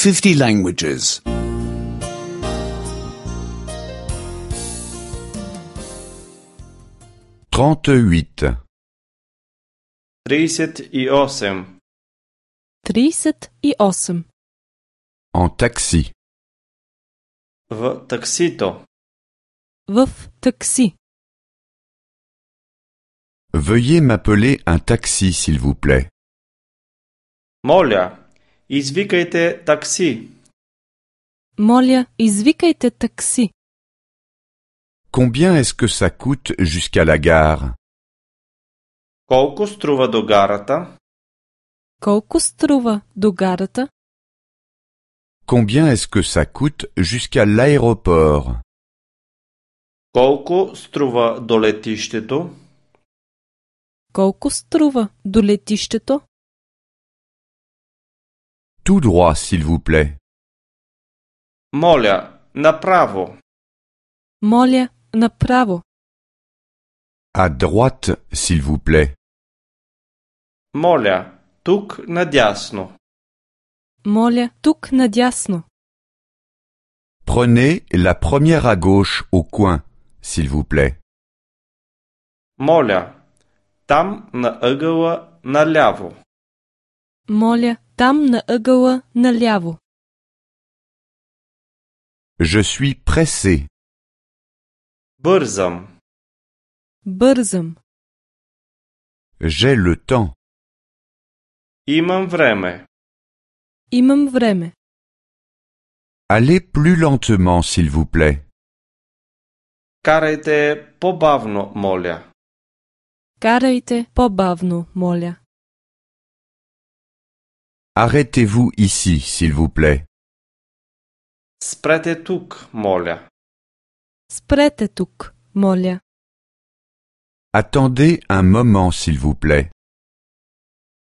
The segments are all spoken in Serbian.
50 languages. 38. 38. 38. En taxi. В таксито. В такси. Veuillez m'appeler un taxi, s'il vous plaît. Моля, извикайте такси. Моля, извикайте такси. Combien est-ce que ça coûte jusqu'à la gare? Колко струва до гарата? Колко струва до гарата? Combien est-ce que ça coûte jusqu'à l'aéroport? Колко струва до летището? Колко струва до летището? Tout droit, s'il vous plaît. Моля, направо. Моля, направо. À droite, s'il vous plaît. Моля, тук надясно. Моля, тук надясно. Prenez la première à gauche au coin, s'il vous plaît. Моля, там на ъгъла наляво. Моля, там на ъгъла наляво. Je suis pressé. Бързам. Бързам. J'ai le temps. Имам време. Имам време. Allez plus lentement, s'il vous plaît. Карайте по-бавно, моля. Карайте по-бавно, моля. Arrêtez-vous ici, s'il vous plaît. Спрете тук, моля. Спрете тук, моля. Attendez un moment, s'il vous plaît.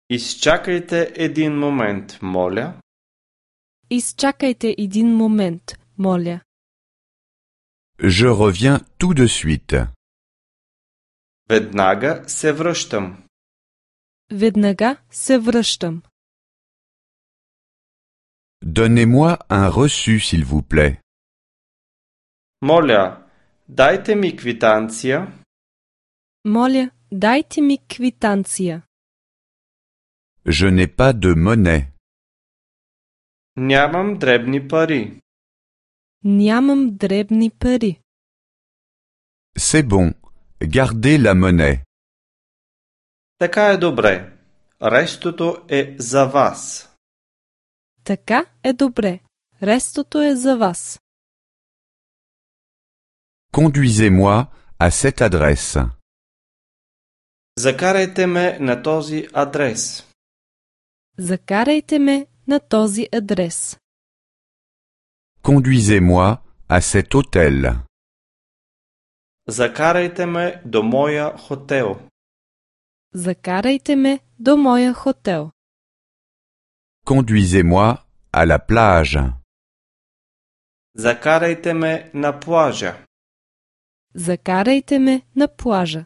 Изчакайте един момент, моля. Изчакайте един момент, моля. Je reviens tout de suite. Веднага се връщам. Веднага се връщам. Donnez-moi un reçu, s'il vous plaît. Моля, дайте ми квитанция. Моля, дайте ми квитанция. Je n'ai pas de monnaie. Нямам дребни пари. Нямам дребни пари. C'est bon. Gardez la monnaie. Така е добре. Рестото е за вас. Така е добре. Рестото е за вас. Conduisez-moi à cette adresse. Закарайте ме на този адрес. Закарайте ме на този адрес. Conduisez-moi à cet hôtel. Закарайте ме до моя хотел. Закарайте ме до моя хотел. Conduisez-moi à la plage. Закарайте ме на плажа. Закарайте ме на плажа.